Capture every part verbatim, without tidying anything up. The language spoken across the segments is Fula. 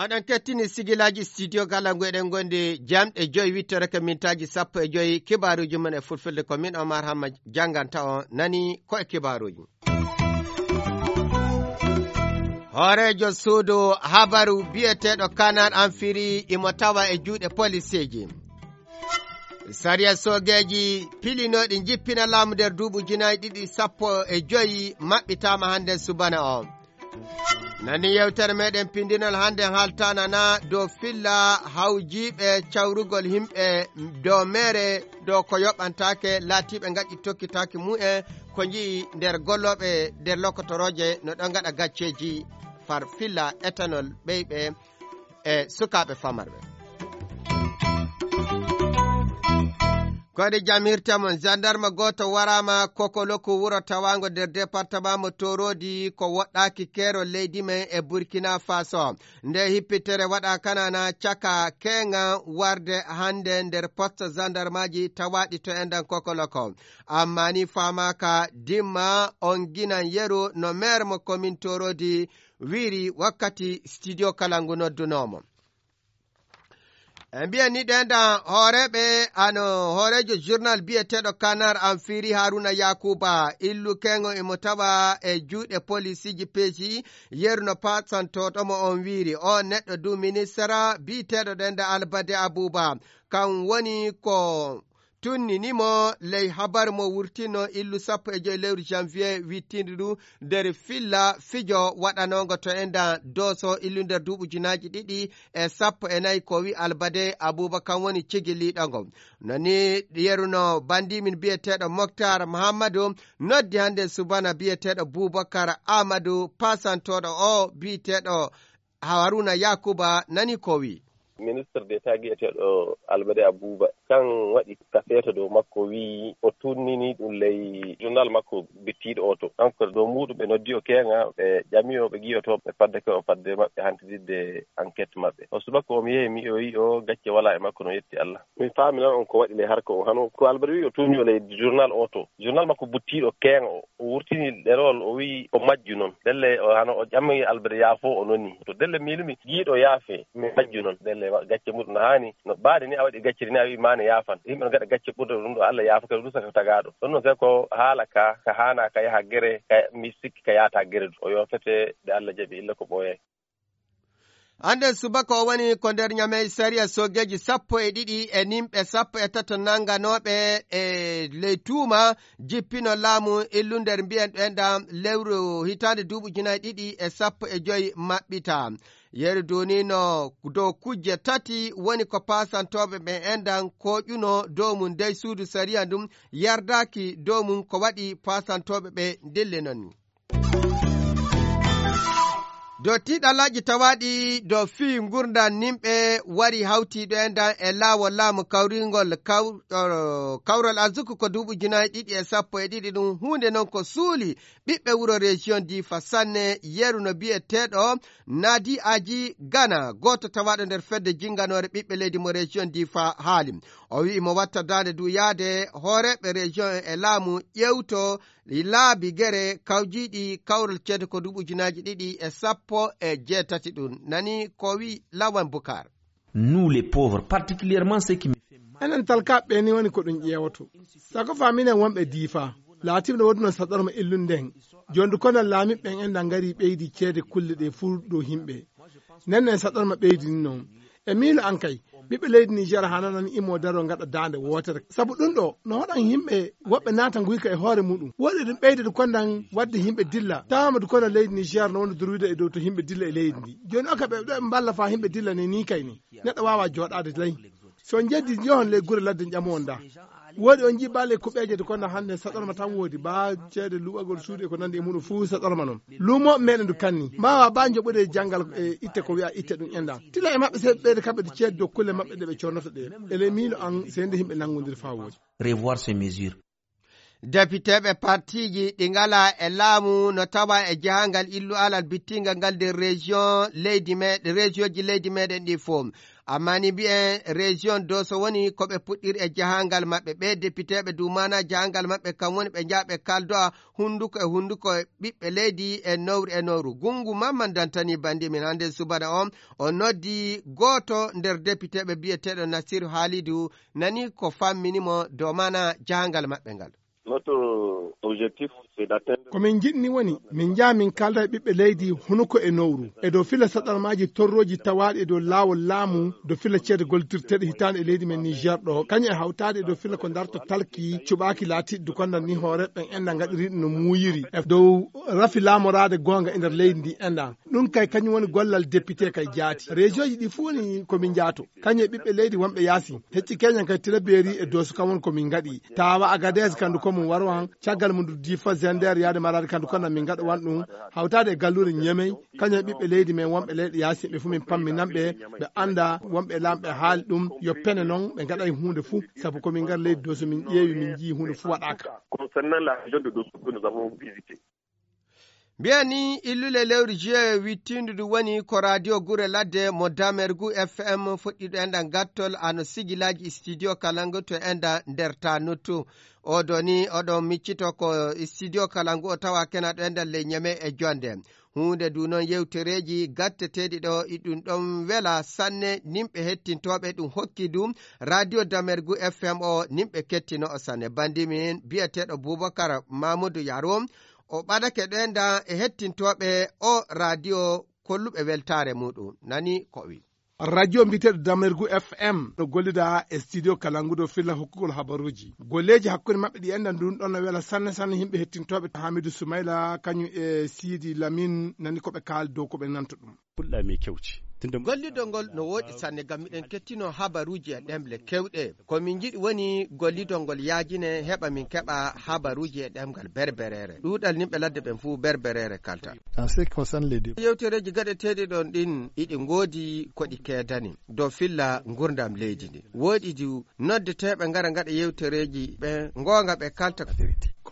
Oɗon kettini sigilaaji studio Kalangu, eɗen ngondi jamɗe joyi wittere ko mintaaji sappo e joyi. Kibaaruuji mon e fulfulde ko min Omar Hamma jannganta on. Nani ko e kibaaruuji. Hooreejo suudu habaru biyeteeɗo Kanar Amfiri imo tawa e juuɗe poliseeji. Sariya soogeeji pilinooɗi njippina laamu nder duuɓi ujunaaji ɗiɗi sappo e joyi maɓɓitaama hannde subana o. Nani yewtere meɗen pindinol hannde haaltanana dow filla hawjiiɓe cawrugol yimɓe dow meere dow ko yoɓantaake laatiiɓe ngaɗi tokkitaaki mumen ko nji'i nder gollooɓe nder lokotorooje no ɗon ngaɗa gacceeji far filla éthanol ɓeyɓe e sukaaɓe famarɓe. Kode jam hirta mon, gendarme gooto waraama Kokoloku, wuro tawaango nder departement mo Torodi, ko woɗɗaaki keerol leydi men e Burkina Faso. Nde hippitere waɗa kanana caka keŋa warde hannde nder poste gendarmeji tawaaɗi to enɗan Kokoloko. Amma ni faamaaka dimma on ginan yeru no maire mo commune Torodi wiiri wakkati studio kala ngu noddunoomo. E mbiyen ni ɗen ɗan hooreeɓe ano hooreejo journal biyeteeɗo Kanar Amfiri Haruna Yakuba illu kengo imo tawa e juuɗe polisiji peeji yeru no pasantoɗo mo on wiiri. O neɗɗo du ministara biyeteeɗo ɗen ɗa Albade Abuba kan woni ko tunninimo ley habar mo wurtino illu sappo e joyi lewru janvier wittindi ɗum nder filla fijo waɗanongo to endan dooso illu nder duuɓi ujunaaji ɗiɗi e sappo e nayi ko wi Albade Abuba kan woni cigiliɗo ngo. No ni yeruno bandimin biyeteeɗo Moktar Mahammadu noddi hannde subana biyeteeɗo Bubakar Amadou pasantoɗo o biyeteeɗo Haruna Yakuba nani ko wi. Ministre d'État giyeteeɗo Albade Abuba kan waɗi ka feeto dow makko, wii o tunnini ɗum ley journal makko bittiiɗo o to. Donc dow muuɗum ɓe noddi o keeŋa, ɓe ƴami o, ɓe giyoto ɓe fadde ko o fadde maɓɓe hantidirde enquête maɓɓe. O subaka o mi yehi mi o yi o gacce wala e makko, no yetti Allah. Mi faami noon on ko waɗi ley harka o hano ko Albade wii o tunni o ley journal o to. Journal makko buttiiɗo keeŋa o. O wurtini ɗerewol, o wi'i o majju non. Ndelle o hano o ƴammi Albert yaafo, o noni. To ndelle miilumi giiɗo yaafe, mi majju non. Ndelle wa-, gacce muɗum no haani, no ɓaade ni a waɗi gacce ni a wi'i maane yaafan. Yimɓe no gaɗa gacce ɓurɗe ɗum ɗo Allah yaafa kadi rusa ko tagaaɗo. Ɗon non kay ko haala ka, ka haana ka yaha gere, ka mi sikki ka yaata gere du. O yoofete nde Allah jaɓi illa ko ɓooyay. Hannde subaka o woni ko nder ñamey sariya soogeeji sappo e ɗiɗi e nimɓe sappo e tato nannganooɓe e ley tuuma jippino laamu illu nder mbiyen ɗo enɗam lewru hitaande duuɓi ujunaaji ɗiɗi e sappo e joyi maɓɓita. Yeru duunino dow kujje tati woni ko paasantooɓe ɓe enɗam kooƴuno dow mum dey suudu sariya ndum yardaaki dow mum ko waɗi paasantooɓe ɓe ndille non. Dow tiiɗalaaji tawaaɗi dow fii ngurndan nimɓe wari hawtiiɗo e ndan e laawol laamu kawringol kaw-, o, kawral arsuku ko duuɓi ujunaaji ɗiɗi e sappo e ɗiɗi ɗum huunde non ko suuli ɓiɓɓe wuro région Difa sanne yeru no biyeteeɗo Nadi Aji Gana, gooto tawaaɗo nder fedde jinnganoore ɓiɓɓe leydi mo région Difa haali. O wi'i mo watta daande du yaade hooreeɓe région en e laamu ƴewto laabi gere kawjiiɗi kawral ceede ko duuɓi ujunaaji ɗiɗi e sappo e jeetati ɗum. Nani ko wi Lawan Bukar. Nous, les pauvres, particulièrement ceux qui me fait mal. Enen talkaaɓe ɓe ni woni ko ɗum ƴeewoto. Sako faminen wonɓe Diifa. Laatiiɓe no woodunoo saɗorma illunde en. Jooni du kono laamiiɓe ɓen en ngari ɓeydi ceede kulle ɗe fuu dow yimɓe. Nden en saɗorma ɓeydi ni noon. E miilo an kay, ɓiɓɓe leydi Niger hano non imo daro ngaɗa daande wootere. Sabu ɗum ɗo, no hoɗan yimɓe woɓɓe naata nguyka e hoore muɗum. Woɗi ɗum ɓeyde du kondan wadde yimɓe dilla. Tawama du kono leydi Niger no woni durwida e dow to yimɓe dilla e leydi ndi. Jooni oka ɓe ɗo ɓe mballa fa yimɓe dilla ni, ni kay ni. Neɗɗo waawa jooɗaade lay. So on njeddi, njohon ley gure ladde ƴamoon da. Woodi on njiɗi baale kuɓeeje de kono hannde saɗorma tan woodi. Ba ceede luɓagol suudu e ko nandi e muɗum fuu saɗorma noon. Luumooɓe meɗen du kanni. Mbaawa ba njoɓude janngal e itte ko wi'a itte ɗum enɗan. Tila e maɓɓe seeɗa ɓeyde kamɓe de ceede dow kulle maɓɓe ɗe ɓe connata ɗe. Ele miilo an seende yimɓe nanngondir faa woodi. Revoir ces mesures. Depiteeɓe partiiji ɗi ngalaa e laamu no tawaa e jahangal illu alal bittingal ngal nder région leydi meɗen, région ji leydi meɗen ɗi fof. Amma ni mbiyen région Doso woni ko ɓe puɗɗiri e jahangal maɓɓe. Ɓe depiteeɓe du maana jahangal maɓɓe kam woni ɓe njaha ɓe kaldoa hunnduko e hunnduko e ɓiɓɓe leydi e nowru e nowru. Gunngu Mamman Dantani bandi min hannde subana on, o noddi gooto nder depiteeɓe biyeteeɗo Nasiru Haalidu, nani ko fammini mo dow maana jahangal maɓɓe ngal. Notre objectif, c'est d'atteindre. Ko min njiɗni woni, min njaha min kalda e ɓiɓɓe leydi hunuko e nowru. E dow filla saɗarmaaji torrooji tawaaɗi e dow laawol laamu, dow filla ceede gollitirteeɗe hitaande e leydi men Niger ɗo. Kañum e hawtaade e dow filla ko darto talki, cuɓaaki laatiiɗi du kondal ni hooreeɓe ɓen enda ngaɗiri ɗum no muuyiri. E dow rafi laamoraade goonga e nder leydi ndi enda. Ɗum kay kañum woni gollal député kay jaati. Région ji ɗi fuu ni ko min njaato. Kañum e ɓiɓɓe leydi wonɓe yaasi. Hecci keñan kay Tilaberi e Dooso kam woni ko min ngaɗi. Tawa Agadez kandu ko mum waro han. Caggal mum du Difa Zender yaade Maradi kandu kono min ngaɗa wan ɗum. Hawtaade e galluure Ñemey. Kañum e ɓiɓɓe leydi men wonɓe leyɗe yaasi ɓe fuu min pamminan ɓe. Ɓe annda wonɓe laamɓe haali ɗum. Yo pene noon ɓe ngaɗay huunde fuu. Sabu ko min ngar leydi Dooso min ƴeewi min njii huunde fuu waɗaaka. Concernant la région de Dosso que nous avons visité. Mbiya ni illule lewru juillet wittindu ndu woni ko radio gure ladde mo Damergu F M fuɗɗiɗo enda gattol ano sigilaaji studio Kalangu to enda nder Tanuttu. Oɗo ni oɗon miccito ko studio Kalangu o tawa kenaɗo enda ley Ñeme e Jonde. Huunde ndu noon yewtereeji gatteteeɗi ɗo iɗum ɗon wela sanne nimɓe hettintooɓe ɗum hokki ɗum radio Damergu F M o nimɓe kettino o sanne. Bandi min biyeteeɗo Bubakar Mamudu Yaro. O ɓadake ɗo enda e hettintooɓe o radio kolluɓe weltaare muɗum. Nani ko o wi. Radio mbiyeteeɗo Damergu F M no gollida e studio Kalangu dow filla hokkugol habaruuji. Golleeji hakkunde maɓɓe ɗi enda ndun ɗon no wela sanne sanne yimɓe hettintooɓe Hamidu Sumayla kañum e Sidi Lamin nani ko ɓe kaali dow ko ɓe nanto ɗum. Puɗɗa mi kewci. Tinde gollidol ngol no wooɗi sanne ngam miɗen kettino habaruuji e ɗemle kewɗe. Ko min njiɗi woni gollidol ngol yaajine heɓa min keɓa habaruuji e ɗemngal berbereere. Ɗuuɗal nimɓe ladde ɓen fuu berbereere kalta. En ce qui concerne les débats. Yewtereeji gaɗeteeɗi ɗon ɗin iɗi ngoodi ko ɗi keedani dow filla ngurdam leydi ndi. Wooɗi du noddeteeɓe ngara ngaɗa yewtereeji ɓe ngoonga ɓe kalta.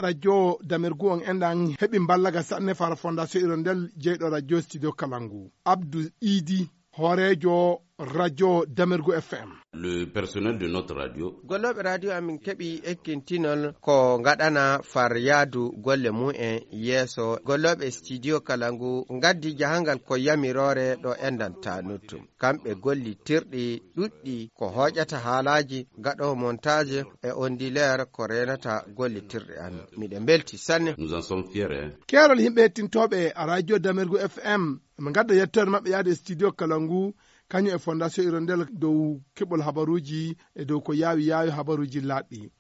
Radio Damergu on enɗan heɓi mballaga sanne fara Fondation Hirondelle jeyɗo radio studio Kalangu. Abdou Idi, hooreejo radio Damergu F M. Le personnel de notre radio. Gollooɓe radio amin keɓi ekkintinol ko ngaɗana far yaadu golle mum en yeeso. Gollooɓe studio Kalangu ngaddi jahangal ko yamiroore ɗo enɗan Tanuttu. Kamɓe gollitirɗi ɗuɗɗi ko hooƴata haalaaji, gaɗoowo montage e ondileer ko reenata gollitirɗe amin. Miɗen mbelti sanne. Nous en sommes fiers, hein. Keerol yimɓe hettintooɓe radio Damergu F M, ɓe ngadda yettoore maɓɓe yaade e studio Kalangu, kañum e Fondation Hirondelle dow keɓol habaruuji e dow ko yaawi yaawi habaruuji laaɓɗi.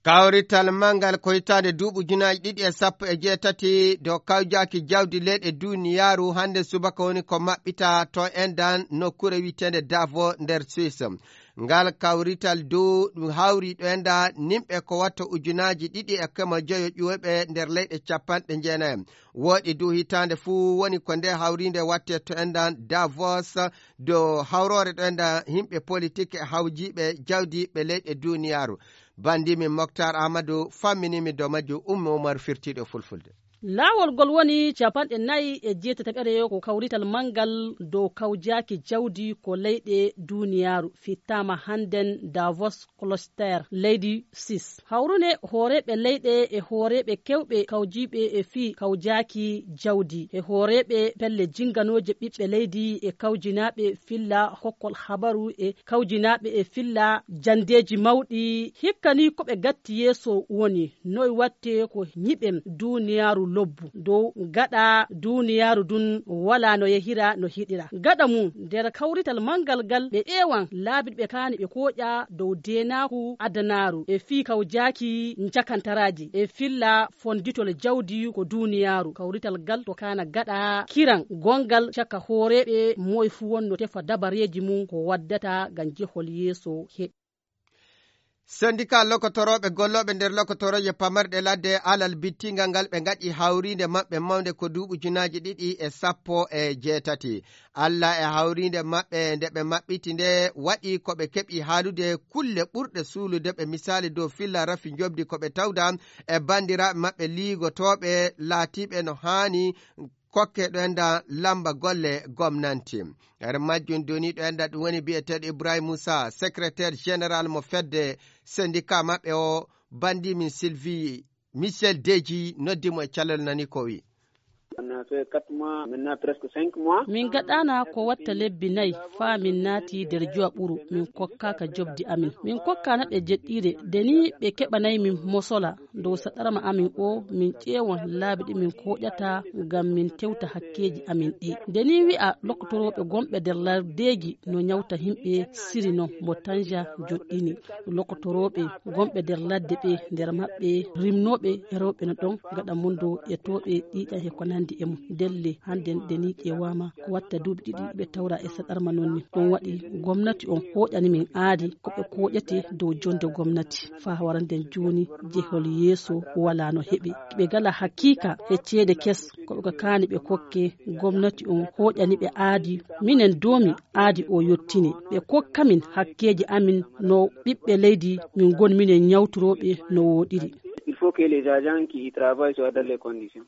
Kawrital manngal ko hitaande duuɓi ujunaaji ɗiɗi e sappo e jeetati dow kawjaaki jawdi leyɗe duniyaaru hannde subaka woni ko maɓɓita to enɗan nokkuure wiyeteende Davos nder Suisse. Ngal kawrital dow ɗum hawri ɗo enɗan nimɓe ko watta ujunaaji ɗiɗi e kemo joyo ƴuwoyɓe nder leyɗe capanɗe jeenayi. Wooɗi dow hitaande fuu woni ko nde hawriinde watte to enɗan Davos dow hawroore ɗo enɗan yimɓe politik e hawjiiɓe jawdi ɓe leyɗe duniyaaru. Bandimin Moktar Amadou famminimi dow majjum Ummu Umar firtiiɗo fulfulde. Laawol ngol woni capanɗe nayi e jeetataɓere ko kawrital manngal dow kawjaaki jawdi ko leyɗe duniyaaru fittaama hannden Davos Kloster leydi Suisse. Hawrune hooreeɓe leyɗe e hooreeɓe kewɓe kawjiiɓe e fii kawjaaki jawdi e hooreeɓe pelle jinnganooje ɓiɓɓe leydi e kawjinaaɓe filla hokkol habaru e kawjinaaɓe e filla janndeeji mawɗi. Hikka ni ko ɓe gatti yeeso woni noy watte ko ñiɓen duniyaaru lobbu dow gaɗa duniyaaru dun wala no yehira no hiɗira. Gaɗa mum nder kawrital manngal ngal ɓe ƴeewan laabi ɓe kaani ɓe kooƴa dow deenaaku adanaaru e fii kawjaaki njakantaraaji e filla fonditol jawdi ko duniyaaru. Kawrital ngal to kaana gaɗa kiran gonngal caka hooreeɓe moy fuu wonno tefa dabareeji mum ko waddata ngam jehol yeeso heɓi. Sendika lokotorooɓe gollooɓe nder lokotorooje pamarɗe ladde alal bittingal ngal ɓe ngaɗi hawriinde maɓɓe mawnde ko duuɓi ujunaaji ɗiɗi e sappo e jeetati. Alla e hawriinde maɓɓe nde ɓe maɓɓiti nde waɗi ko ɓe keɓi haalude kulle ɓurɗe suulude ɓe misaali dow filla rafi njoɓdi ko ɓe tawda e banndiraaɓe maɓɓe liigotooɓe laatiiɓe no haani kokke ɗo enda lamba golle gomnanti. Nder majjum doni ɗo enda ɗum woni biyeteeɗo Ibrahim Moussa, secrétaire général mo fedde syndicat maɓɓe o, bandi min Sylvie Michel Deji noddi mo e calal nani ko wi. Min gaɗana ko watta lebbi nayi faa min naati nder jowa ɓuru, min kokkaaka jobdi amin. Min kokkaana ɓe jeɗɗiire, de ni ɓe keɓanay min mosola. Dow saɗarma amin o, min ƴeewon laabi ɗi min kooƴata ngam min tewta hakkeeji amin ɗi. Nde ni wi'a lokotorooɓe gonɓe nder lardeeji no nyawta himɓe siri non mo tanja joɗɗini. Lokotorooɓe gonɓe nder ladde ɓe nder maɓɓe rimnooɓe e rewɓe no ɗon gaɗa mundo e tooɓe ƴiiƴan e ko nandi e mum. Ndelle hannden nde ni ƴeewaama ko watta duuɓi ɗiɗi ɓe tawra e saɗarma non ni. Ɗum waɗi gomnati on hooƴani min aadi ko ɓe kooƴete dow jonde gomnati. Faa waranden jooni jehol yeeso walaa no heɓi. Ɓe ngala hakiika e ceede kes ko ɓe kaani ɓe kokke gomnati on hooƴani ɓe aadi. Minen doomi aadi o yottini ɓe kokka min hakkeeji amin no ɓiɓɓe leydi min ngoni minen nyawtorooɓe no wooɗiri. Il faut que les agents qui y travaillent soient dans les conditions.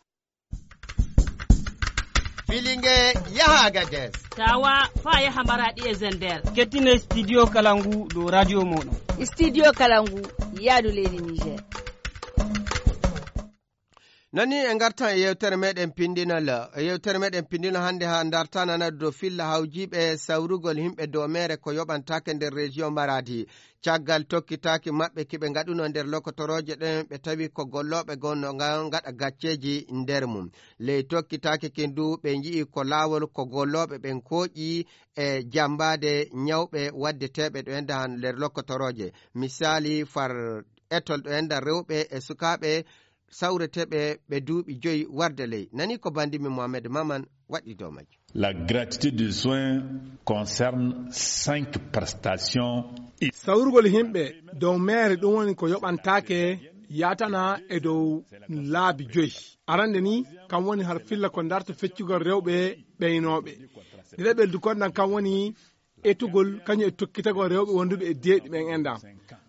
Filinge yaha Agadez. Tawa fa yaha Maradi e Zender. Kettine studio kala ngu dow radio moɗon. Studio kala ngu yaadu leydi Niger. Nani e ngartan e yewtere meɗen pindinal. E yewtere meɗen pindinal hannde ha dartanana dow filla hawjiɓe sawrugol himɓe dow mere ko yoɓantake nder région Maradi. Caggal tokkitaaki maɓɓe ki ɓe ngaɗuno nder lokotorooje ɗen, ɓe tawi ko gollooɓe goo no ngaɗa gacceeji nder mum. Ley tokkitaaki kin du, ɓe nji'i ko laawol ko gollooɓe ɓen kooƴi e jammbaade ñawɓe waddeteeɓe ɗo enda han nder lokotorooje. Misaali, far etol ɗo enda rewɓe e sukaaɓe sawreteeɓe ɓe duuɓi joyi warde ley. Nani ko banndi min Mohamed Maman waɗi dow majjum. La gratuité de soins concerne cinq prestations. Sawrugol himɓe dow meere ɗum woni ko yoɓantaake yaatana e dow laabi joyi. Arande ni kam woni har filla ko darta feccugol rewɓe ɓeynooɓe. Ɗiɗaɓel du kondan kam woni etugol kañum e tokkitagol rewɓe wonduɓe e deeɗi ɓen enɗam.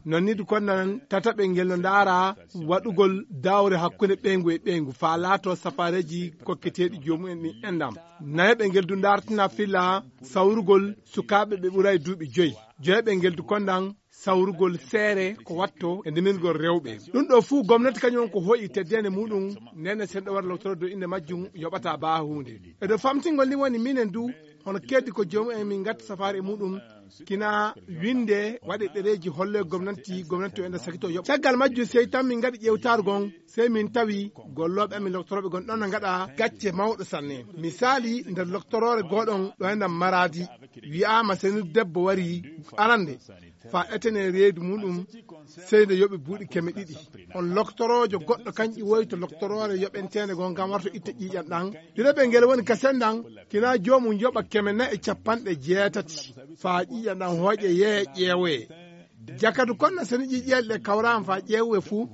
Non ni du kondan tataɓel ngel no ndaara waɗugol dawre hakkunde ɓeyngu e ɓeyngu faa laato safareeji kokketeeɗi joomumen ɗin enɗam. Nayaɓel ngel du ndaartina filla sawrugol sukaaɓe ɓe ɓuray duuɓi joyi. Joyaɓel ngel du kondan sawrugol seere ko watto e ndimirgol rewɓe. Ɗum ɗo fuu gomnati kañum on ko hoyi teddeende muɗum nene senɗo waɗa lowtoro dow innde majjum yoɓata baa huunde. E dow famtingol ni woni minen du hono keddi ko joomu en min ngatta safaari e muɗum kina winde waɗe ɗereeji holle gomnati gomnati o enda sakito yoɓ caggal majjum sey tan min ngaɗi ƴewtaaru gon sey min tawi gollooɓe amin loktorooɓe gon ɗon no ngaɗa gacce mawɗo sanne. Misaali nder loktoroore gooɗon ɗo enda Maradi wi'aama senu debbo wari arande faa etene reedu muɗum sey nde yoɓi buuɗi keme ɗiɗi. On loktoroojo goɗɗo kañƴi woyto loktoroore yoɓenteende goo ngam warto itta ƴiiƴan ɗan. Ɗiɗaɓel ngel woni ka sendan kina joomum yoɓa keme nayi e capanɗe jeetati faa ƴiiƴan ɗan hooƴe yeeya ƴeewoye. Jakadu konna seni ƴiiƴeele ɗe kawraama faa ƴeewuwe fuu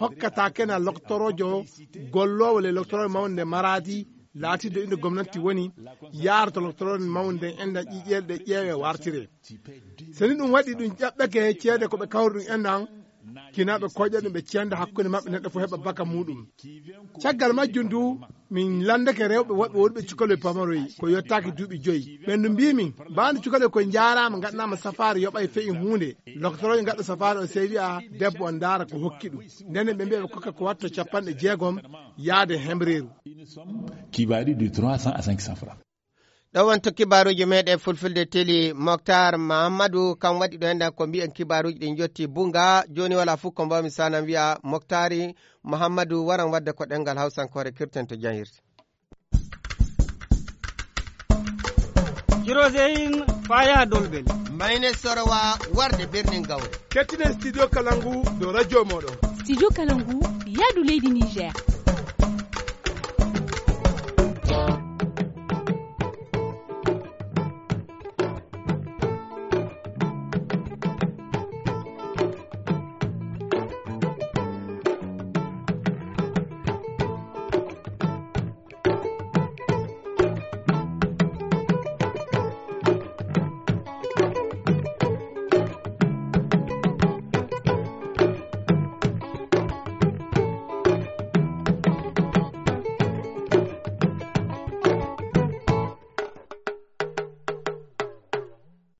hokkata kena loktoroojo golloowo le loktoroojo mawnde Maradi laatiiɗo innde gomnati woni yaara to loktoroore mawnde nden endan ƴiiƴeele ɗe ƴeewe wartire. Seni ɗum waɗi ɗum ƴaɓɓake ceede ko ɓe kawri ɗum endan kina ɓe koƴa ɗum ɓe cenda hakkunde maɓɓe neɗɗo fof heɓa baka muɗum. Caggal majjum du min landake rewɓe woɓɓe wonɓe cukalel pamaroy ko yottaaki duuɓi joyi ɓen du mbimin mbaandu cukalel koye njaaraama ngaɗanaama safaari yoɓay feyi huunde. Loktoroje ngaɗɗo safaari o sey wi'a debbo on ndaara ko hokki ɗum. Ndenen ɓe mbiya ɓe kokka ko watto capanɗe jeegom yaade hemreeru. Qui varie de trois cents à cinq cents francs. Ɗo wonto kibaaruuji meɗen fulfulde teli. Moktar Mahammadu kam waɗi ɗo enɗan ko mbiyen kibaaruuji ɗi jotti bunga. Jooni wala fof ko mbawmi sanan wiya Moktari Mahammadu waran wadde ko ɗengal hawsankoore kirten to jahirte. Kiroseyin faa yaha Dolbel. Mayne Sorowa warde birnin Gawre. Kettinen studio Kalangu dow radio moɗon. Studio Kalangu yaadu leydi Niger.